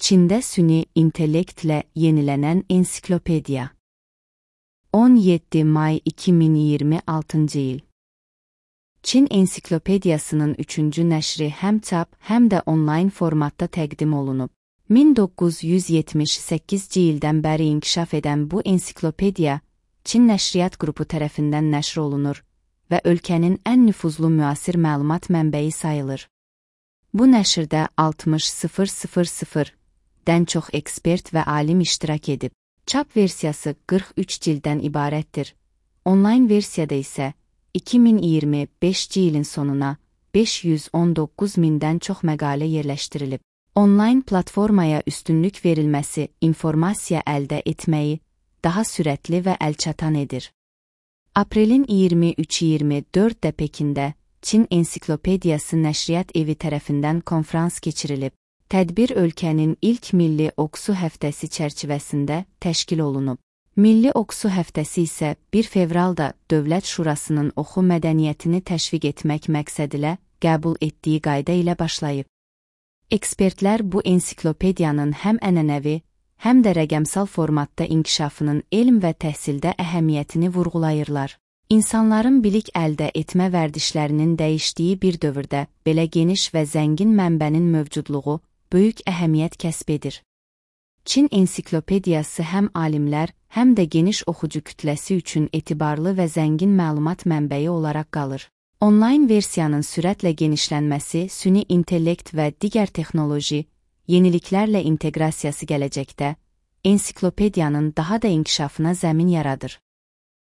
Çində süni intellektlə yenilənən ensiklopediya. 17 may 2026 il. Çin ensiklopediyasının 3-cü nəşri həm çap, həm də onlayn formatda təqdim olunub. 1978-ci ildən bəri inkişaf edən bu ensiklopediya Çin Nəşriyyat Qrupu tərəfindən nəşr olunur və ölkənin ən nüfuzlu müasir məlumat mənbəyi sayılır. Bu nəşrdə 60.000-dən çox ekspert və alim iştirak edib. Çap versiyası 43 cilddən ibarətdir. Onlayn versiyada isə 2025-ci ilin sonuna 519 mindən çox məqalə yerləşdirilib. Onlayn platformaya üstünlük verilməsi informasiya əldə etməyi daha sürətli və əlçatan edir. Aprelin 23-24-də Pekində Çin Ensiklopediyası Nəşriyyat Evi tərəfindən konfrans keçirilib. Tədbir ölkənin ilk Milli Oxu həftəsi çərçivəsində təşkil olunub. Milli Oxu həftəsi isə 1 fevralda Dövlət Şurasının oxu mədəniyyətini təşviq etmək məqsədilə qəbul etdiyi qayda ilə başlayıb. Ekspertlər bu ensiklopediyanın həm ənənəvi, həm də rəqəmsal formatda inkişafının elm və təhsildə əhəmiyyətini vurğulayırlar. İnsanların bilik əldə etmə vərdişlərinin dəyişdiyi bir dövrdə belə geniş və zəngin mənbənin mövcudluğu böyük əhəmiyyət kəsb edir. Çin ensiklopediyası həm alimlər, həm də geniş oxucu kütləsi üçün etibarlı və zəngin məlumat mənbəyi olaraq qalır. Onlayn versiyanın sürətlə genişlənməsi, süni intellekt və digər texnoloji, yeniliklərlə inteqrasiyası gələcəkdə ensiklopediyanın daha da inkişafına zəmin yaradır.